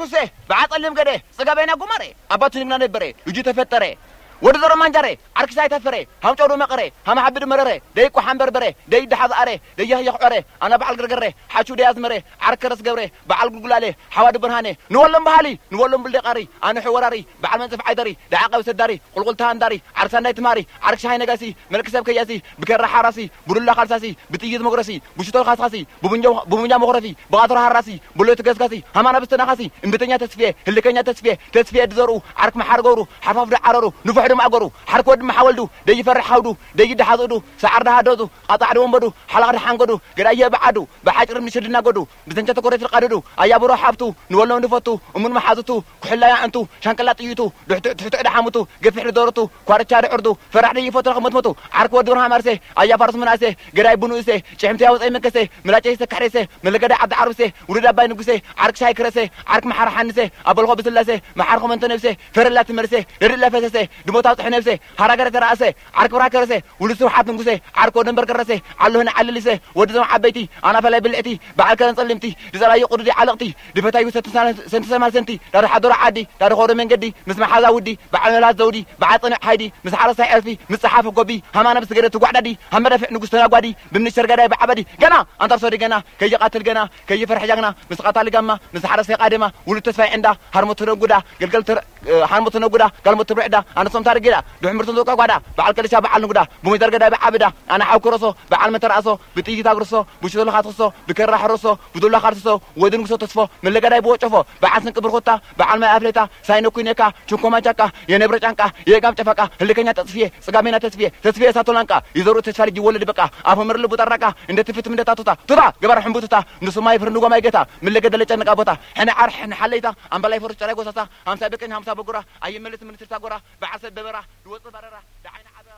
ሙሴ በዓል ጸሊም ገደ ጽጋበይና ጉማሬ ኣባቱ ንግና ነበረ እጁ ተፈጠረ ወዲ ዘሮ ማንጃሬ ዓርኪ ሳይተፈረ ሃምጨው መቐረ ሃማሓብድ መረረ ደይቆ ሓንበርበረ ደይደሓዝ ኣረ ደየኽየኽ ዖረ ኣና በዓል ገርገረ ሓቹ ደያዝመረ ዓርከረስ ገብረ በዓል ጉልጉላለ ሓዋዱ ብርሃነ ንወሎም በሃሊ ንወሎም ብልደቃሪ ኣንሑ ወራሪ በዓል መንጽፍ ዓይደሪ ደዓቐብ ሰዳሪ ቁልቁልታ ኣንዳሪ ዓርክሳ እንዳይ ትማሪ ዓርክ ሻሃይ ነጋሲ መልክ ሰብ ከያሲ ብከራ ሓራሲ ብዱላ ካልሳሲ ብጥይት መጉረሲ ብሽቶል ካስኻሲ ብቡንጃ መኹረፊ ብቓትሮ ሃራሲ ብሎት ገስጋሲ ሃማና ብስተናኻሲ እምብተኛ ተስፍየ ህልከኛ ተስፍየ ተስፍየ ድዘርኡ ዓርክ መሓር ገብሩ ሓርፋፍ ድዓረሩ ንፉሕ ድማእገሩ ሓርክ ወዲ መሓወልዱ ደይፈርሕ ሃውዱ ደይድሓዝእዱ ሰዓር ድሃደዙ ቃጣዕ ድወንበዱ ሓላቕ ድሓንገዱ ገዳየ ብዓዱ ብሓጭር ምሽር ድናገዱ ብተንቸ ተኮሬት ድቃድዱ ኣያብሮ ሓብቱ ንወሎም ድፈቱ እሙን መሓዝቱ ኩሕላ ያዕንቱ ሻንቅላ ጥይቱ ድሕትዕ ድሓሙቱ ገፊሕ ድደረቱ ኳርቻ ድዕርዱ ፈራሕ ደይፈቱ ክመትመቱ ዓርክ ወዲ ብርሃን ኣርሴ ኣያ ፋርስ ምናሴ ገዳይ ብንኡሴ ጭሕምቲ ያውፀይ መከሴ ምላጨ ይሰካሕሬሴ መለገዳይ ዓዲ ዓርብሴ ውሉድ ኣባይ ንጉሴ ዓርክ ሻይ ክረሴ ዓርክ መሓር ሓንሴ ኣበልኾ ብስላሴ መሓር ኮመንተ ነብሴ ፈረላ ትመልሴ ደድላ ፈሰሴ ድሞት ኣውፅሒ ነብሴ ሃራገረ ተረኣሰ ዓርክ ብራ ከረሴ ውሉድ ስብሓት ንጉሴ ዓርክ ወደንበር ከረሴ ዓሎ ህነ ዓሊ ልሴ ወዲ ዞም ዓበይቲ ኣናፈላይ ብልዕቲ በዓል ከረን ጸሊምቲ ድጸላዩ ቁዱዲ ዓለቕቲ ድፈታዩ ሰንቲ ሰማል ሰንቲ ዳርሓ ዶሮ ዓዲ ዳርኾዶ መንገዲ ምስ መሓዛ ውዲ በዓል መላት ዘውዲ በዓል ጽኑዕ ሓይዲ ምስ ሓረስታይ ዕርፊ ምስ ጸሓፊ ጎቢ ሃማና ብስገደ ትጓዕዳዲ ሃመዳፍዕ ንጉስ ተናጓዲ ብምንሽር ገዳይ ብዓበዲ ገና ኣንታር ሶዲ ገና ከይቐትል ገና ከይፈርሕ ጃግና ምስ ቐታሊ ጋማ ምስ ሓረስታይ ቃደማ ውሉድ ተስፋይ ዕንዳ ሃርሞት ተደንጉዳ ገልገል ተረ- ሃርሞት ተነጉዳ ጋልሞት ትብርዕዳ ኣነሶም ታርጊዳ ድሕምርትን ዘውቀ ጓዳ በዓል ከልሻ በዓል ንጉዳ ብሙይ ዘርገዳ ብዓብዳ ኣነ ሓው ክረሶ በዓል መተራእሶ ብጥይት ኣግርሶ ብሽቶ ለኻትክሶ ብከራ ሕረሶ ብዱላ ካልስሶ ወዲ ንጉሶ ተስፎ መለገዳይ ብወጨፎ በዓል ስንቂ ብርኹታ በዓል ማይ ኣፍሌታ ሳይነ ኩኔካ ችንኮ ማንቻካ የነብረ ጫንቃ የጋም ጨፈቃ ህልከኛ ተስፍየ ጽጋሜና ተስፍየ ተስፍየ እሳቶ ላንቃ ይዘሩ ተስፋ ልጅ ይወለድ በቃ ኣፎ መርሊ ቡጠራቃ እንደ ትፍትም እንደ ታቱታ ቱታ ገባር ሕንቡቱታ ንሱ ማይ ፍርንጎ ማይ ገታ ምለገደለ ጨንቃ ቦታ ሕነ ዓር ሕነ ሓለይታ ኣምባላይ ፈሩስ ጨራይ ጎሳሳ ሃምሳ በቀኝ ሃምሳ በጉራ ኣይመልስ ምንስርታ ጎራ በዓል ሰብ በበራ ድወጽእ ባረራ ደዓይነ ዓበራ